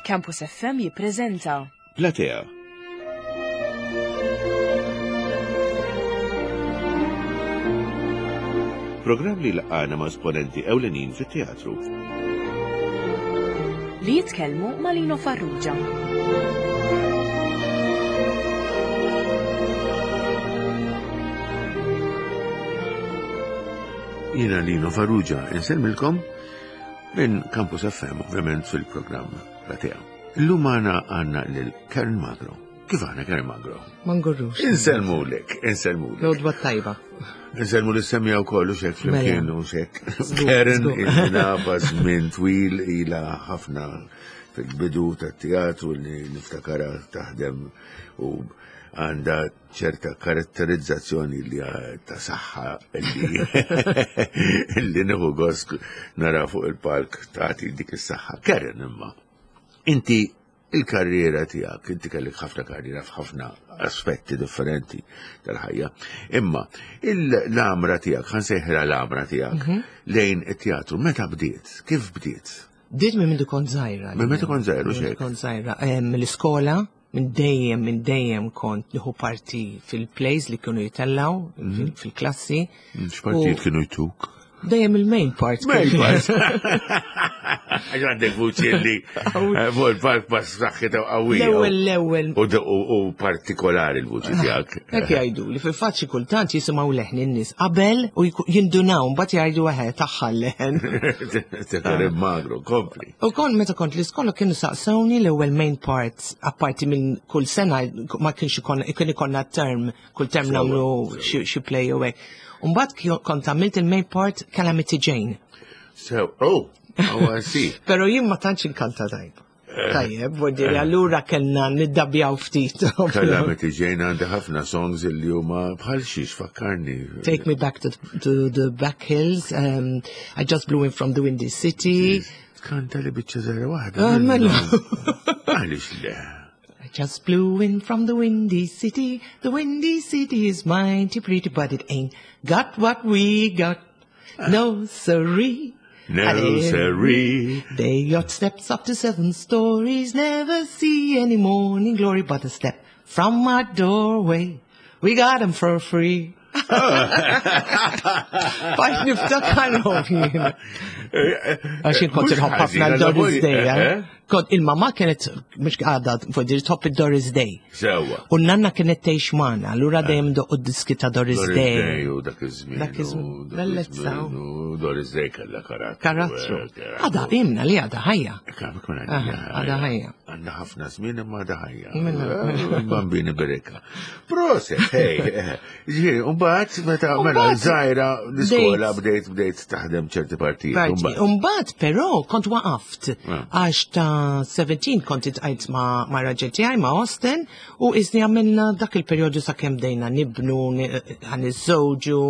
Campus FM jippreżenta Platea. Programm li laqana ma' esponenti ewlenin fit-teatru. Li jitkellmu ma' Lino Farrugia. Jiena Lino Farrugia, insellmilkom minn Campus FM, ovvjament fil-programm Platea. Illum għana għanna lil Karen Magro. Kif għana Karen Magro? Ma ngurrux. Insellmulek, insellmulek. Lodwa tajba. Insellmu li semmija u kollu xek flimkien Mela. u xek. Karen il-nafa żmien twil ila ħafna fil-bidu tat-teatru li niftakara taħdem u għanda ċerta karatterizzazzjoni li ta' saħħa li li nieħu gost nara fuq il-palk tagħti dik is-saħħa. Karen imma, inti il-karriera tiegħek, inti kellek ħafna karriera f'ħafna aspetti differenti tal-ħajja, imma l-għamra tiegħek, ħa nsejħilha l-għamra tiegħek Mhm. lejn it-teatru, meta bdiet? Kif bdiet? Bdiet minn mindu kont żgħira. Minn meta kont żgħira, u Minn xek? Kont żgħira. Mill-iskola, minn dejjem, minn dejjem kont nieħu parti fil-plays li kienu jitellaw, Mhm. fil- fil-klassi. X'partijiet kienu jtuk? Dejjem il-main part. Main part. Għax għandek vuċi li eh, fuq il-park pass saħħita qawwija. L-ewwel, l-ewwel. U u partikolari l-vuċi tiegħek. Hekk jgħidu li fil-fatt xi kultant jisimgħu leħn in-nies qabel u jku- jindunaw mbagħad jgħidu eħe tagħha l-leħen. Karen Magro, kompli. U kon meta kont l-iskola kienu saqsewni l-ewwel main part apparti minn kull sena ma kienx ikon kien ikonna term kull term Sewa, nagħmlu sewa. xi xi play u hekk. U mbagħad kio- kont għamilt il-main part Calamity Jane. So, oh, oh, I see. Però jien ma tantx inkanta tajb. Tajjeb, vuol allura kellna niddabjaw ftit. Calamity Jane għandi ħafna songs li huma bħal xiex fakkarni. Take me back to, to the back hills. Um, I just blew in from the windy city. Kanta li biċċa żgħira waħda. Ah, mela. Għaliex le? I just blew in from the windy city. The windy city is mighty pretty, but it ain't got what we got. No siree. No siree. They yacht steps up to seven stories, never see any morning glory but a step from my doorway. We got 'em for free. Bajt niftakarhom jien. Għax jien kont inħobb ħafna l-Doris Day. eh? Kont il-mama kienet mhux għadha fuq tħobb il-Doris Day. Sewa. U n-nanna kienet tgħix magħna, allura dejjem doqqu d-diski ta' Doris Doris Day. Day u dak iż-żmien. Dak iż-żmien. u dak Bellezza. iż-żmien, U Doris Day kellha karattru. Karattru. eh, Għada imna li għada ħajja. Kemm ikun Aha, għadha ħajja. Għandha ħafna żmien imma għadha ħajja. Minna. Eh, Bambini bereka. Proset, hey. eh, Ġifieri, mbagħad meta mela Mbagħad żgħira l-iskola bdejt- bdejt bdejt taħdem ċerti partijiet. Parti. mbagħad. Umbat, però, kont waqaft. Ah. Għax ta' 17 kont itqajt ma' ma' raġel tiegħi ma' Austin u iżni għamilna dak il-perjodu sa' kemm bdejna nibnu, għan iż-żewġu,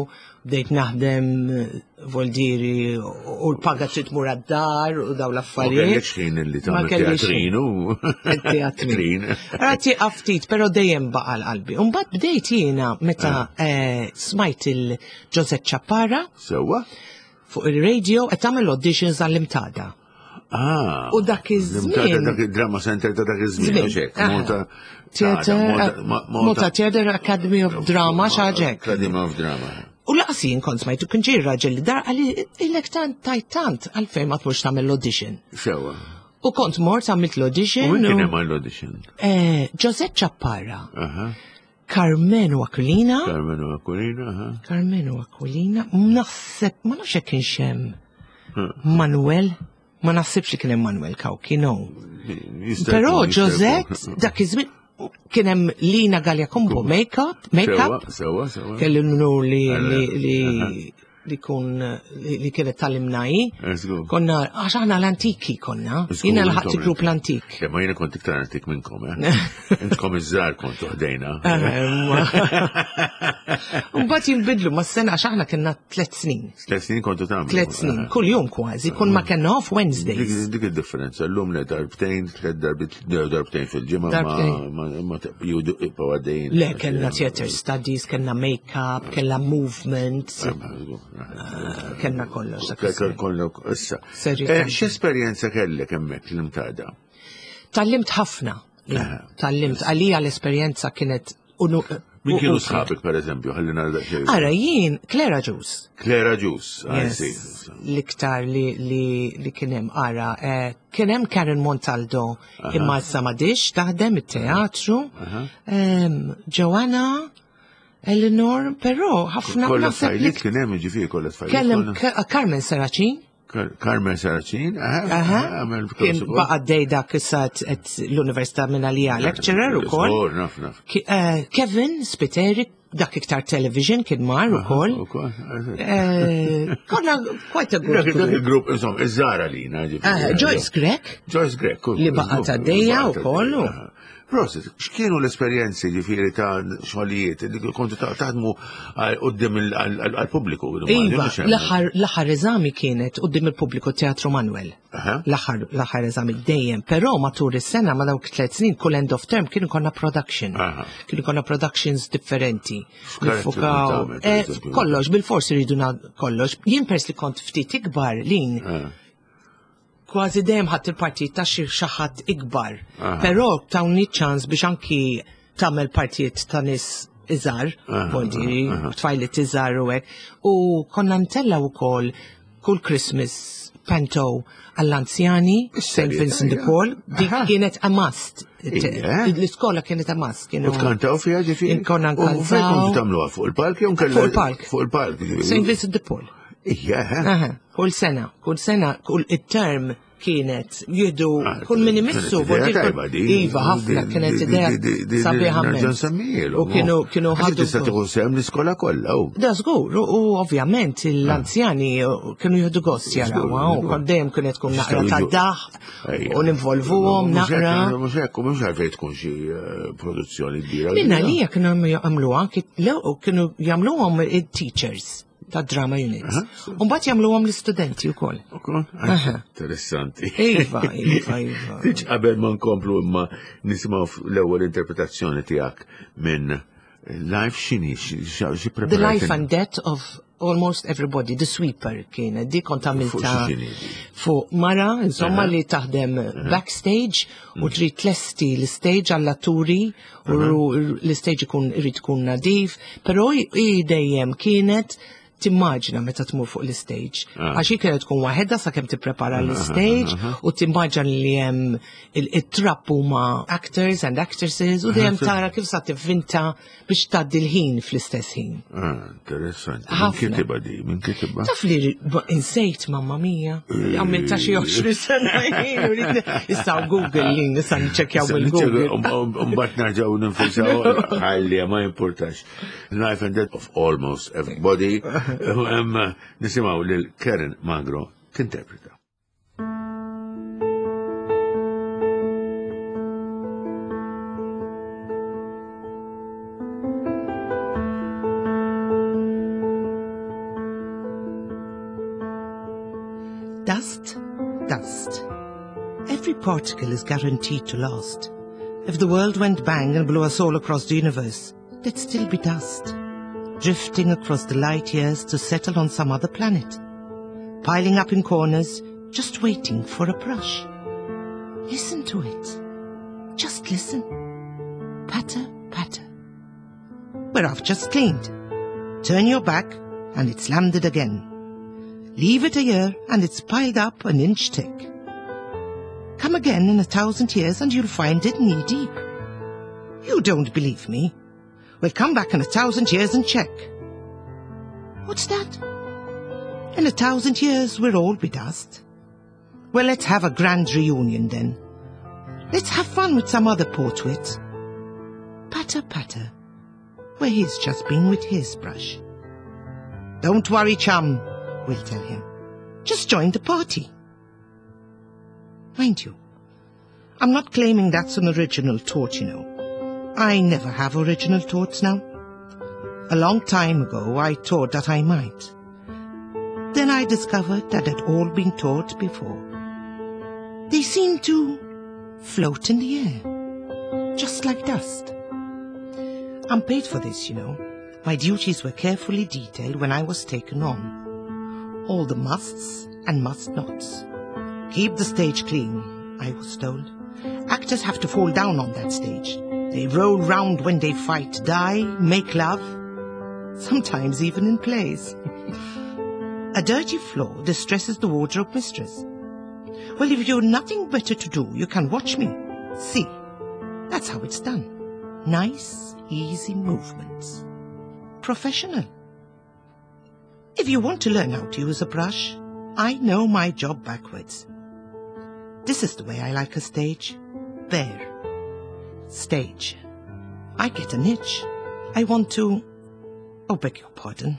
bdejt naħdem eh, voldiri u l-paga trid tmur għad-dar u daw Ma l-affarijiet. kellekx ħin li Ma tagħmel kellix teatrin u Teatrin. Rati ftit, pero dejjem baqa l-qalbi. Umbat bdejt jiena meta eh, smajt il-Josette Chaparra Sewwa? fuq il-radio qed tagħmel auditions għall-imtada. Ah. U dak iż-żmien- Dak id-drama center ta' dak iż-żmien, Żmien, u xek. aha. Malta Theater, Malta- Ma- Malta Theater Academy of Drama xaġek. Academy of Drama. U laqas jien kont smajtu kien ġej raġel li dar għalli ilek tant tajt tant għalfejn ma tmurx tagħmel l-audition. Sewwa. U kont mort għamilt l-audition. U min kien u- hemm għall-audition? Eh, Josette Chaparra, Aha. Carmenu Aquilina, Carmenu Aquilina, aha. Carmenu Aquilina, naħseb, ma nafx jekk kienx hemm Manuel, ma naħsibx li kien hemm Manuel Cauchi, no. Jista' Però jkun, jista' Josette, jkun. dak iż-żmien kien hemm Lina Gallia Combo make-up, make-up, Sewwa, sewwa, sewwa. kelli l-nur li Alla, li li li kun li li kienet tal-imnaji. Żgur. Konna, għax aħna l-antiki konna, Żgur, jiena l-ħaqt intom grupp l-antik. Ma jiena kont iktar antik minnkom, eh? Intkom iż-żgħar kontu ħdejna. Mbagħad jinbidlu mas-sena għax aħna kellna tliet snin. Tliet snin kontu tagħmlu. Tliet snin, kull jum kważi, kull ma kellna off Wednesdays. Dik dik id-differenza, llum le darbtejn, tliet darbit, darbtejn fil-ġimgħa ma Darbtejn. ma ma judu ibqgħu għaddejjin. Le, kellna theater studies, kellna make-up, kellna movement, kellna kollox. dak iż-żmien. Kollu issa. Serju Eh, tant. X'esperjenza kellek hemmhekk l-imtada? Tgħallimt ħafna. Tgħallimt għalija l-esperjenza kienet Min kienu sħabek, per eżempju, ħalli nara daqsxejn. Ara, jien, Clara Ġus. Clara Ġus, L-iktar li, li, li kienem, ara, eh, kienem Karen Montaldo, imma issa m'għadix taħdem it-teatru. Joanna, Eleanor, però ħafna. Kolla tfajliet kien hemm ġifieri kollha tfajliet. Kellem Carmen Saracin. Carmen Saracin, għamel Kien baqa dej dak issa l-Università minn għalija lecturer u koll. Eh, Kevin Spiteri, dak iktar television kien mar u koll. Eh, konna quite a good group. Dak il-grupp, insomma, iż-żara li eh, Joyce Grek. Joyce Grek. Li baqa ta' dejja u koll. Prosit, x'kienu l-esperjenzi ġifieri ta' xogħlijiet li kontu taħdmu qudiem għall-pubbliku? Iva, l-aħħar eżami kienet qudiem il-pubbliku Teatru Manuel. L-aħħar eżami dejjem, però matul is-sena ma dawk tliet snin kull end of term kienu konna production. Kienu konna productions differenti. Nifukaw. Eh, kollox, bil-forsi rridu kollox. Jien pers li kont ftit ikbar lin kważi dejjem ħadd il-partit ta' xi ħadd ikbar. Però tawni ċans biex anki tagħmel partijiet ta' nies iżgħar, voldiri, tfajliet iżgħar u hekk. U konna ntella wkoll kull Christmas panto għall-anzjani, St. Vincent de Paul, dik kienet a must. L-iskola kienet a must. U tkantaw fiha ġifieri? Konna nkantaw. U fejn kontu tagħmluha fuq il-park jew nkella? Fuq il-park. Fuq il-park. St. Vincent de Paul. Ija, Kull sena, kull sena, kull it-term kienet jihdu ah, kull min imissu. Iva, ħafna kienet idea sabiħa U kienu kienu ħadu. Tista' tieħu sehem l-iskola kollha. Da żgur, u ovvjament l-anzjani kienu jieħdu gost jaraw, u dejjem kienet tkun naqra ta' daħ u ninvolvuhom naqra. Mhux hekk, mhux għalfejn tkun xi eh, produzzjoni kbira. Minna li kienu jagħmluha, kienu jagħmluhom it-teachers ta' drama units. Umbagħad jagħmluhom l-istudenti wkoll. Interessanti. Iva, iva, iva. Tiġ qabel ma nkomplu imma nisimgħu l-ewwel interpretazzjoni tiegħek minn Life x'inhi xi The Life and Death of Almost Everybody, The Sweeper kienet, di kont għamilta fuq mara, insomma, li taħdem backstage u mm. trid tlesti l-stage għall-atturi u l-stage ikun irid ikun nadif, però hi dejjem kienet timmaġina meta tmur fuq l-stage. Ah. Għax hi kienet tkun waħedha sakemm tipprepara ah, l-stage ah, u timmaġina li hemm it-trapp huma actors and actresses u dejjem tara kif sa tivvinta biex tgħaddi l-ħin fl-istess ħin. Ah, interessanti. Min kitibha di, min kitibha? Taf li insejt mamma mia, għamilta xi 20 sena Issa Google li nista' niċċekkjaw bil-Google. Mbagħad nerġgħu ninfisaw ħalli ma jimpurtax. Life and Death of Almost Everybody. Nisimgħu lil Karen Magro tinterpreta. Dust, dust. Every particle is guaranteed to last. If the world went bang and blew us all across the universe, there'd still be dust, drifting across the light years to settle on some other planet, piling up in corners, just waiting for a brush. Listen to it. Just listen. Patter, patter. Where I've just cleaned. Turn your back and it's landed again. Leave it a year and it's piled up an inch thick. Come again in a 1,000 years and you'll find it knee deep. You don't believe me. Well, come back in 1,000 years and check. What's that? In 1,000 years we'll all be dust. Well, let's have a grand reunion then. Let's have fun with some other poor twit. Patter, patter, where he's just been with his brush. Don't worry, chum, we'll tell him. Just join the party. Mind you, I'm not claiming that's an original thought, you know. I never have original thoughts now. A long time ago, I thought that I might. Then I discovered that they'd all been taught before. They seem to float in the air, just like dust. I'm paid for this, you know. My duties were carefully detailed when I was taken on. All the musts and must nots. Keep the stage clean, I was told. Actors have to fall down on that stage. They roll round when they fight, die, make love, sometimes even in plays. A dirty floor distresses the wardrobe mistress. Well, if you've nothing better to do, you can watch me. See, that's how it's done. Nice, easy movements. Professional. If you want to learn how to use a brush, I know my job backwards. This is the way I like a stage. There. Stage. I get an itch. I want to... Oh, beg your pardon.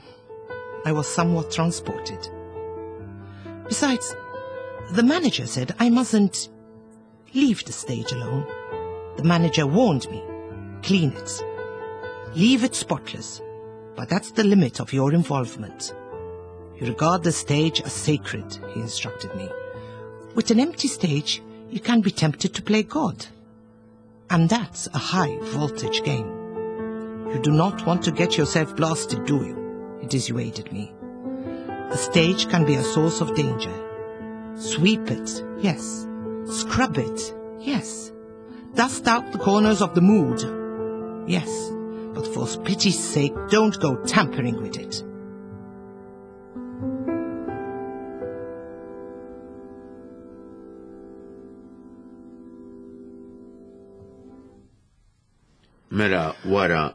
I was somewhat transported. Besides, the manager said I mustn't leave the stage alone. The manager warned me. Clean it. Leave it spotless. But that's the limit of your involvement. You regard the stage as sacred, he instructed me. With an empty stage, you can be tempted to play God. And that's a high voltage game. You do not want to get yourself blasted, do you? He dissuaded me. A stage can be a source of danger. Sweep it, yes. Scrub it, yes. Dust out the corners of the mood, yes. But for pity's sake, don't go tampering with it. Mela wara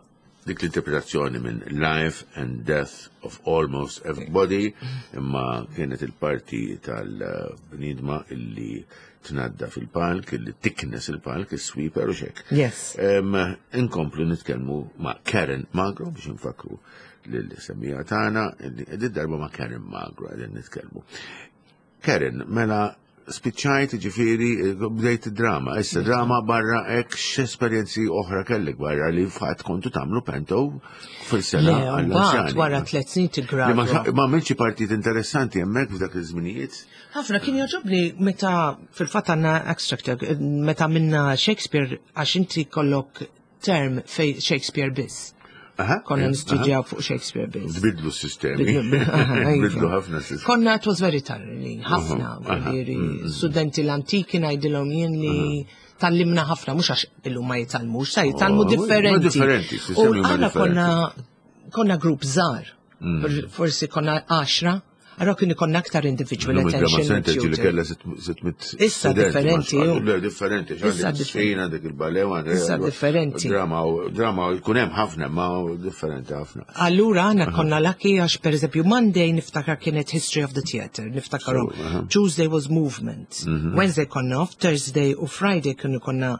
dik l-interpretazzjoni minn Life and Death of Almost Everybody, imma kienet il-parti tal-bnidma illi tnadda fil-palk, illi tiknes il-palk, il-sweeper u xek. Yes. Inkomplu nitkellmu ma' Karen Magro biex nfakru lil-semmija tagħna illi qegħdin darba ma' Karen Magro qegħdin nitkellmu. Karen, mela spiċċajt ġifieri bdejt drama, issa drama barra hekk x'esperjenzi oħra kellek barra li fatt kontu tagħmlu pento fil-sena għall-anzjani. Wara tliet snin tigradwa. Ma għamilx partit interessanti hemmhekk f'dak iż-żminijiet. Ħafna kien jogħġobni meta fil-fatt għandna extract meta minna Shakespeare għax inti kollok term fej Shakespeare biss. Konna nistudjaw fuq Shakespeare biss. Bidlu s-sistemi. Bidlu ħafna s-sistemi. Konna it was very tiring, ħafna. Mm, studenti l-antiki ngħidilhom jien li tallimna ħafna, mhux għax illum ma jitalmux, sa jitalmu oh, differenti. Differenti, U aħna konna konna grupp żgħar. Mm. Forsi konna 10 Allora kien ikonna aktar individual attention. Center li kella 600. Issa differenti. Le, differenti. Issa differenti. Għandek il-ballet, għandek. Issa differenti. Drama, drama, jkun hemm ħafna, ma differenti ħafna. Allura għana konna lucky għax per eżempju Monday niftakar kienet History of the Theater, niftakarhom. Tuesday was Movement. Mhm. Wednesday konna off, Thursday u Friday kienu konna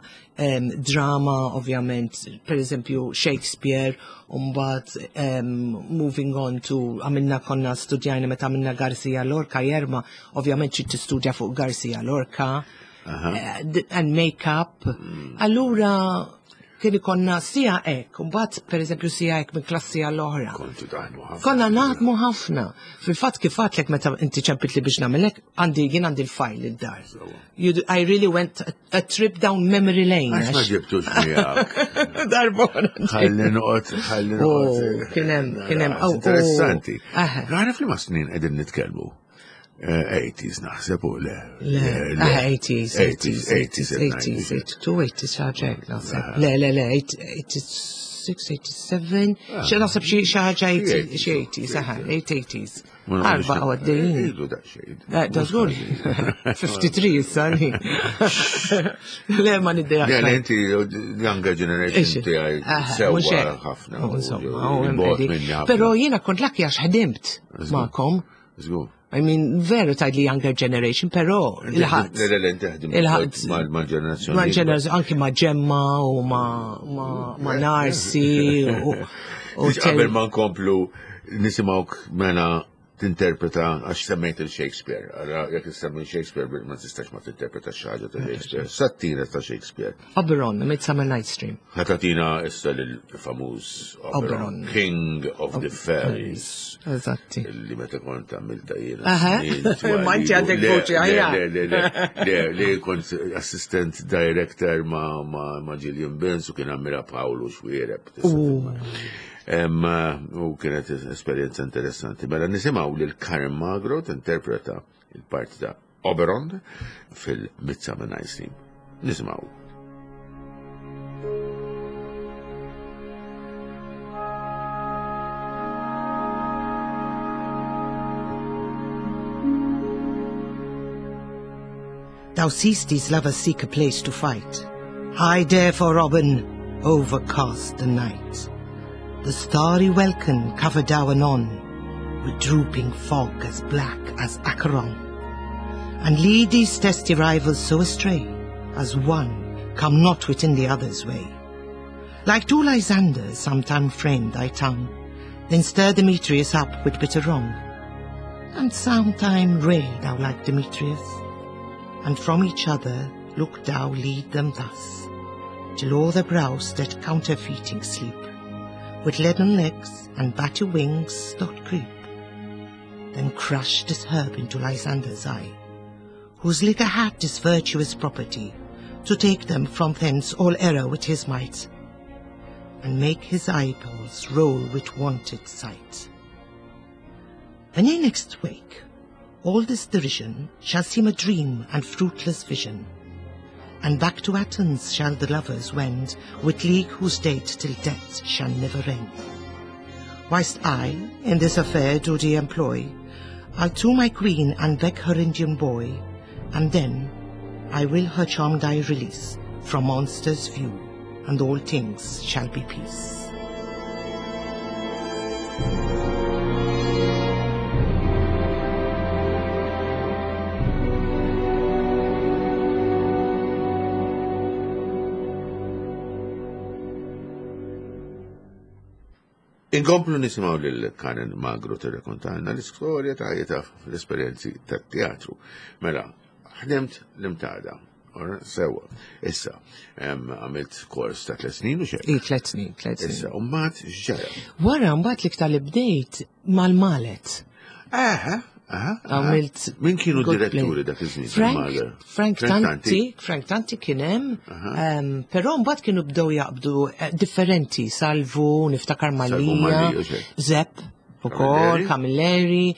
drama, ovvjament, per eżempju Shakespeare, umbat moving on to għamilna konna studjajna meta għamilna Garcia Lorca, Jerma, ovvjament xi tistudja fuq Garcia Lorca, uh, and make-up. Mm. Allura, kien ikonna sija ek, mbagħad pereżempju sija ek minn klassi għall oħra. Kontu taħdmu ħafna. Konna naħdmu ħafna. Fil-fatt kif għatlek meta inti ċempit li biex nagħmilek, għandi jien għandi l-fajl id-dar. I really went a, a trip down memory lane. Għax ma ġibtux miegħek. Darbora. Ħalli noqgħod, ħalli oh, noqgħod. Kien hemm, kien hemm. Oh, oh. Interessanti. Għaraf li ma snin qegħdin nitkellmu. 80s eh, naħseb u le. Le, 80s, 80s, 80s, 80s, 82, 80s ħaġa naħseb. Le, le, le, 86, 87, xi naħseb xi ħaġa xi 80s, aha, 80s. Arba u għaddejjin. Ilu daqsxejn. Eh, da żgur. 53 issa li. Le ma niddejja. Le, inti younger generation tiegħi sewwa ħafna. Insomma, Però jiena kont lucky għax ħdimt magħkom. Żgur. I mean, veru tajd li younger generation, pero il-ħadd. Le, le, le, inti ħdimt mal-ġenerazzjoni. Mal-ġenerazzjoni, anki ma' Ġemma u ma' Narsi. Qabel ma nkomplu nisimgħuk mela tinterpreta għax semmejt il-Shakespeare. Għara, jekk issemmi Shakespeare ma tistax ma tinterpreta xi ħaġa ta' Shakespeare. Sattina ta' Shakespeare. Oberon, Midsummer Night's Dream. Ħatatina issa lill-famuż Oberon, King of the Fairies. Eżatti. Li meta kont għamilta jiena. Ma inti għandek voċi għajja. Le, le, le, le, le, kont assistant director ma' Gillian Benz u kien għamilha Paolo Xwiereb. U kienet esperjenza interessanti. Mela nisimgħu lil Karen Magro tinterpreta il-parti ta' Oberon fil-Midsummer Night's Dream. Nisimgħu. Thou seest these lovers seek a place to fight. High therefore, Robin, overcast the night. The starry welkin cover thou anon with drooping fog as black as Acheron. And lead these testy rivals so astray, as one come not within the other's way. Like two Lysanders sometime frame thy tongue, then stir Demetrius up with bitter wrong. And sometime rail thou like Demetrius, and from each other look thou lead them thus, till o'er the brows that counterfeiting sleep, with leaden legs and batty wings doth creep. Then crush this herb into Lysander's eye, whose liquor hath this virtuous property, to take them from thence all error with his might, and make his eyeballs roll with wonted sight. When ye next wake, all this derision shall seem a dream and fruitless vision, and back to Athens shall the lovers wend, with league whose date till death shall never end. Whilst I in this affair do thee employ, I'll to my queen and beg her Indian boy, and then I will her charmed eye release from monsters' view, and all things shall be peace. Inkomplu nisimgħu lil Karen Magro tirrekontalna l-istorja ta' ħajjitha fl-esperjenzi tat-teatru. Mela, ħdimt l-imtada. Sewa, issa, għamilt kors ta' tliet snin u xejn. I, tliet snin, tliet snin. Issa, u mbagħad x'ġara? Wara mbagħad l-iktar li bdejt mal-malet. Aha, Għamilt. Min kienu diretturi dak iż-żmien? Frank, Frank Tanti, Frank Tanti kien hemm, però mbagħad kienu bdew jaqbdu eh, differenti, Salvu, niftakar Malija, Zepp, ukoll, Camilleri,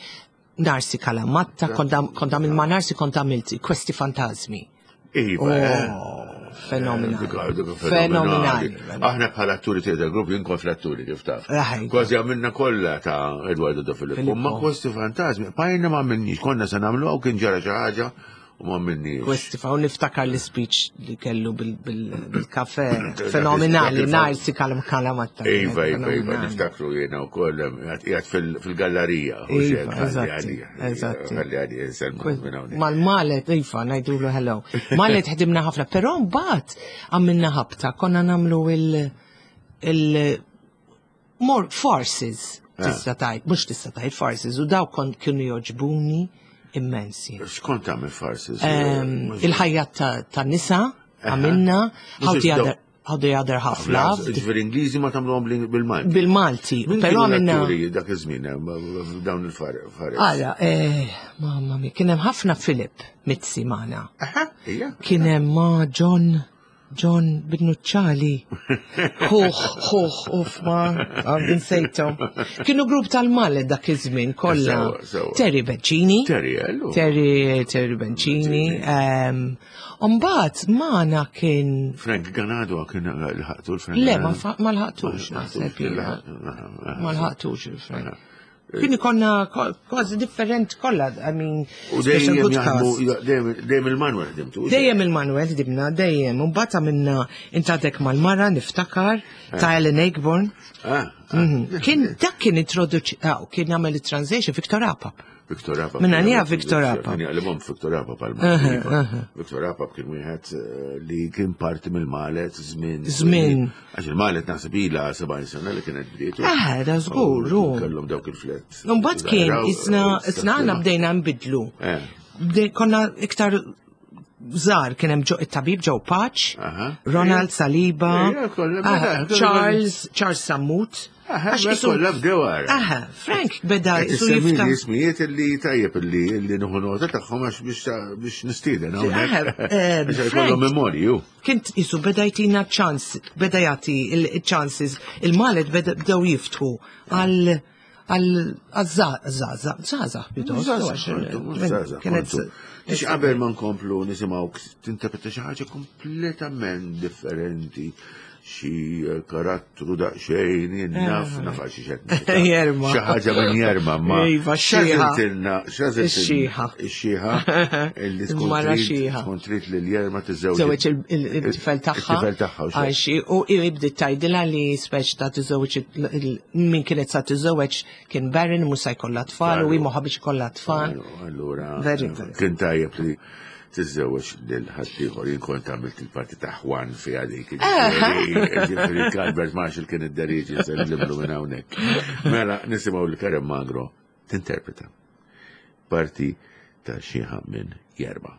Narsi Kalamatta, kont għamil ma' Narsi kont għamilt Questi Fantasmi. Iva, eh. Oh, fenomenali. Fenomenali. Aħna bħala atturi theater group jien kont l-atturi kif taf. Kważi għamilna kollha ta' Eduardo Da Filippo. Ma Questi Fantasmi, pajna ma għamilniex, konna se nagħmlu kien ġara xi ħaġa u ma għamilniex. Questi fa' niftakar l-speech li kellu bil-kafe fenomenali, Narsi Kalamatta. Iva, iva, iva, niftakru jiena wkoll qiegħed fil-gallerija. Iva, eżatt. Mal-malet, iva, ngħidulu hello. Malet ħdimna ħafna, però mbagħad għamilna ħabta, konna nagħmlu il- il more farces ah. tista' tajt, mhux tista' tajt farces, u daw kont kienu joġbuni immensi. X'kont tagħmel farces? Ehm, il-ħajja ta' nisa għamilna, how the other How the other half love. Ġifieri Ingliżi ma tagħmluhom bil-Malti. Bil-Malti. Però għamilna. Dak iż-żmien eh, dawn il-fares. Ara, eh, mamma mi, kien hemm ħafna Philip Mizzi magħna. Kien hemm ma' John John Binnuċċali. Ħuħ, ħuħ, uf ma, għandin sejtom. Kienu grupp tal-Malet dak iż-żmien kollha. Terry Bencini. Terry, Terry, Terry Bencini. Ehm, Umbagħad magħna kien. Frank Ganado kien l-ħaqtu l-Frank. Le, ma l-ħaqtux, naħseb jiena. Ma l-ħaqtux il-Frank. Kien ikonna kważi different kollha, I mean. U dejjem dejjem il-Manuel ħdimtu. Dejjem il-Manuel ħdimna, dejjem. Umbagħad għamilna intadek mal-mara niftakar eh. ta' Ellen Aigborn. Ah, ah. Mhm. Kien dak kien introduċi, ah, kien jagħmel it-translation Victor Apap. Victor Apap. Minna nija Victor Apap. Kien jaqlibhom Victor Apap għal Victor Apap kien wieħed eh, li kien parti mill-Malet żmien. Żmien. Għax il-Malet naħseb ilha 70 sena li kienet bdietu. Eh, da żgur. Kellhom dawk il-flet. Mbagħad kien isna isna għandna bdejna nbidlu. Eh. Konna iktar żgħar kien hemm it-tabib Joe Paċ, Ronald Saliba, Charles Charles Sammut. Għax kollha bdew għara. Aha, Frank beda jisu jiftaħ. Ismijiet li tajjeb li li nieħu nota tagħhom għax biex nistieden hawnhekk. Eh, biex jkollhom memorju. Kien jisu beda jtina ċans, beda jagħti il-chances, il-malet bdew jiftħu għal għal-zaza, zaza, pjuttost. Biex qabel ma nkomplu nisimgħu tinterpreta xi ħaġa kompletament differenti. xi karattru daqsxejn jien naf naf għal xi xed. Jerma. Xi ħaġa minn jerma ma. Iva, x-xieħa. X'għażiltilna, x'għażiltilna? Ix-xieħa. Ix-xieħa illi tkun Mara trid xieħa. tkun trid lil jerma tiżżewġ. Żewġ il-tifel tagħha. Il-tifel tagħha u xejn. Għax u bdiet tgħidilha li speċ ta' tiżewġ min kienet sa tiżewġ kien barren mhux se jkollha tfal u hi moħħa biex ikollha tfal. Allura, Very good. kien tajjeb li tiżżewweġ lil ħaddieħor. Jien kont għamilt il-parti ta' Juan fiha dik. Ġifieri Albert Marshall kien id-deriġi sellimlu minn hawnhekk. Mela nisimgħu li Karen Magro tinterpreta parti ta' xieħa minn Jerba.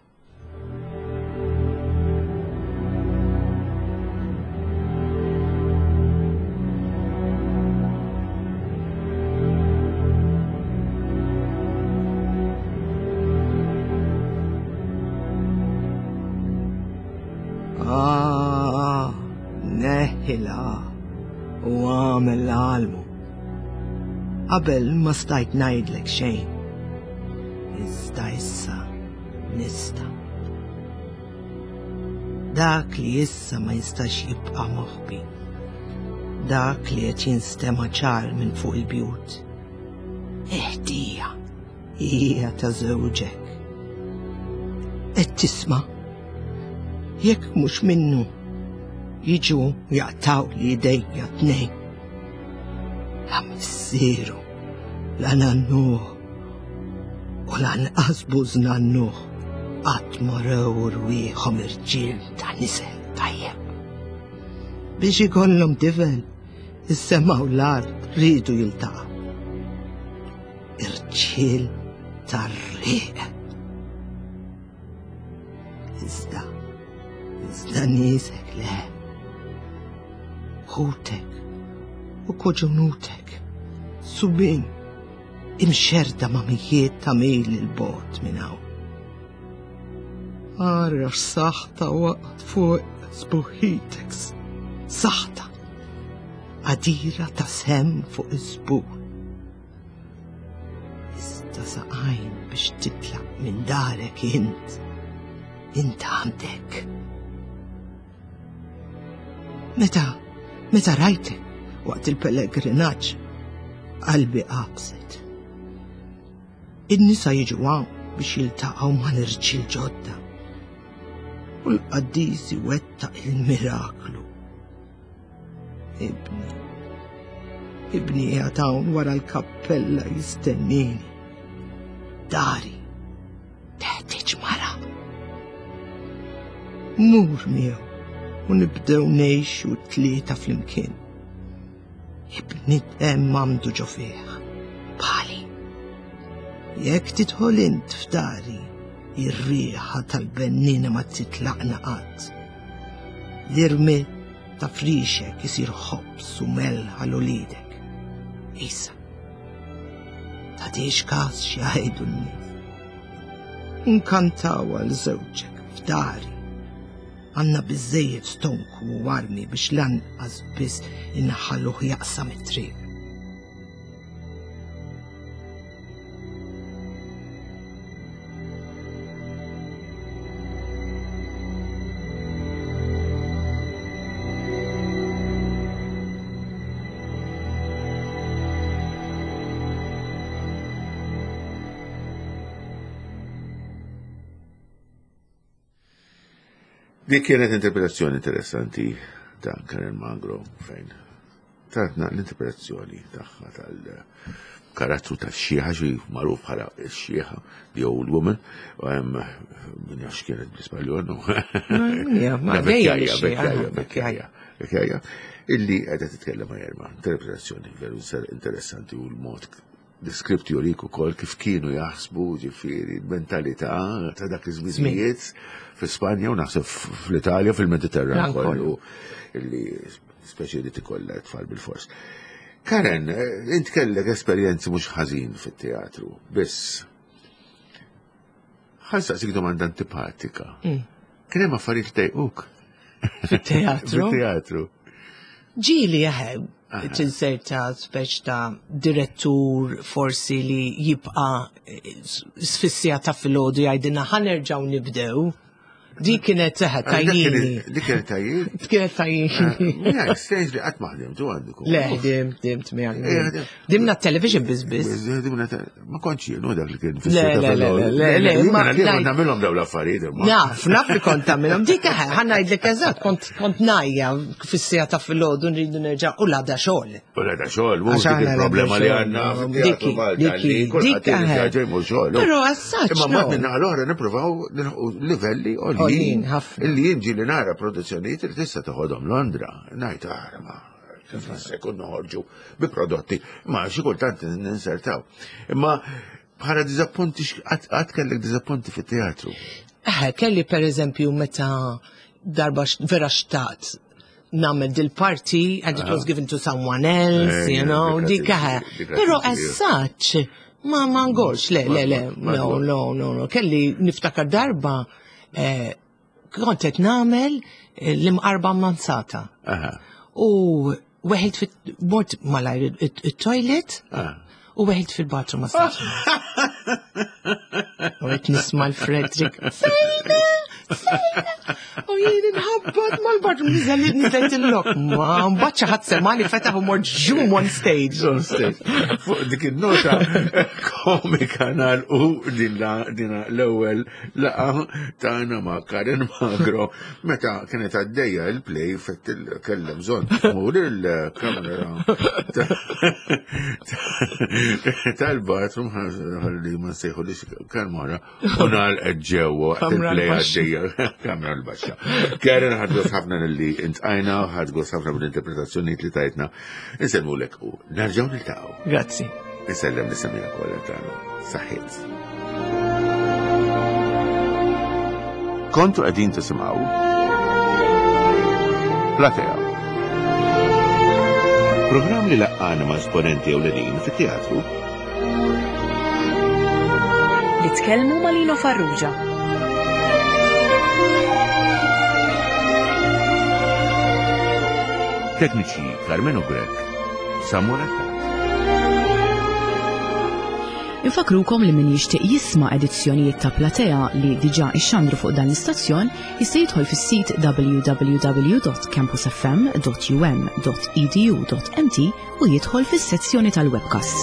Ah, neħila u għamel l-almu. Qabel ma stajt ngħidlek xejn. Iżda issa nista. Dak li issa ma jistax jibqa' moħbi. Dak li qed jinstema' ċar minn fuq il-bjut. Eħdija hija ta' żewġek. Qed tisma' jekk mhux minnu jiġu jaqtaw li idejja tnejn. La missieru, la nannuh, u lanqas bużnannuh qatt ma rew rwieħhom irġiel ta' nisel tajjeb. Biex ikollhom tifel, is-sema u l-art riedu jiltaqgħu. Irġiel tar-riq. Iżda, iżda niesek le. Ħutek u koġunutek, subin, imxerda ma' mijiet ta' mil il-bot minn hawn. Ara saħta waqt fuq sbuħitek, saħta, għadira ta' sem fuq iż-żbul. Iżda saqajn biex titlaq minn darek int, int għandek. Meta, meta rajtek waqt il-pellegrinaġġ, qalbi qabżet. In-nisa jiġu hawn biex jiltaqgħu mal-irġiel ġodda. U l-qaddis iwettaq il-miraklu. Ibni, ibni qiegħed hawn wara l-kappella jistennini. Dari, teħtieġ mara. Mur miegħu u nibdew ngħixu tlieta flimkien. Ibni hemm għandu ġo fih, bħali. Jekk tidħol int f'dari, ir-riħa tal-bennina ma titlaqna qatt. L-irmied ta' frixek isir ħobż u melħ għal uliedek. Isa, tagħtix każ x'jgħidu n-nies. Nkantaw għal żewġek f'dari. Għandna biżżejjed stonku u armi biex lanqas biss inħalluh jaqsam it-triq. Dik kienet interpretazzjoni interessanti ta' Karen Magro fejn tatna l-interpretazzjoni tagħha tal-karattru tax-xieħa xi magħruf bħala x-xieħa, the old woman, min jaf x'kienet bl-Ispanjol. Vecchiaia, vecchiaia, illi qiegħda titkellem ma' Jerma. Interpretazzjoni veru interessanti u l-mod l-iskript jurik ukoll kif kienu jaħsbu ġifieri l-mentalità ta' dak iż-żminijiet fi Spanja u naħseb fl-Italja fil-Mediterran kollu illi speċi li tikollha tfal bil-fors. Karen, eh, int kellek esperjenzi mhux ħażin fit-teatru, biss ħansaqsik domanda antipatika. Kien hemm affarijiet tejquk? Fit-teatru? Fit-teatru. Ġieli jaħe, tinserta speċ ta' direttur forsi li jibqa' eh, sfissija ta' filgħodu jgħidilna ħanerġgħu nibdew. Dik kienet seħa tajjini. Dik kienet tajjini? Dik kienet tajjini. Mija, strange li qatt ma ħdimtu għandikom. Le, ħdim, ħdimt miegħek. Dimna television biss biss. Dimna ma kontx jien dak li kien Le, le, le, le, le, ma kont nagħmilhom dawn l-affarijiet. Naf, naf li kont tagħmilhom. Dik ħa ngħidlek eżatt, kont kont najja fis-sija ta' filgħodu nridu nerġa' u l-għada xogħol. U l-għada xogħol, mhux dik il-problema li għandna Diki, diki, dik xogħol. Però assaċ. Imma mbagħad minn naħa l-oħra nippruvaw nilħqu livelli għoljin illi jien ġieli nara produzzjonijiet li tista' toħodhom Londra. Ngħid ara ma kif se jkun noħorġu bi prodotti, ma xi kultant ninsertaw. Imma bħala diżappunti qatt kellek diżappunti fit-teatru. Eh, kelli per eżempju meta darba vera xtaqt nagħmel dil-parti and it was given to someone else, you know, dik Però as such, ma ma ngorx, le, le, le, no, no, no, no, kelli niftakar darba eh, kont qed nagħmel eh, l-imqarba ammanzata. U weħilt fit mort malajr it-toilet u weħilt fil-bathroom ma U qed nisma' l-Frederick. Fejna! Fejna! U jien inħabbat mal-bathroom niżel niżel il-lok. Ma mbagħad xi ħadd semani fetaħ u mort ġum on stage. On stage. Fuq dik in-nota komika nagħlqu din l-ewwel laqa tagħna ma' Karen Magro meta kienet għaddejja il-play fett kellem bżonn tmur il-kamera tal-bathroom ħalli ma nsejħu li kan mara u nagħlqet ġewwa waqt il-play għaddejja kamera l-baxxa. Karen ħadgos ħafna li intqajna, ħadgos ħafna bl-interpretazzjonijiet li tajtna. Insellmulek u nerġgħu niltaqgħu. Grazzi. Insellem li semija kollha tagħna. Saħħiet. Kontu qegħdin tisimgħu Platea. Programm li laqqana ma' esponenti ewlenin fit-teatru. Li tkellmu ma' Lino Farrugia. Tekniċi Carmenu Grech, Samuel Attard. Infakrukom li min jixtieq jisma' edizzjonijiet ta' Platea li diġà ixxandru fuq dan l-istazzjon jista' jidħol fis-sit www.campusfm.um.edu.mt u jidħol fis-sezzjoni tal-webcasts.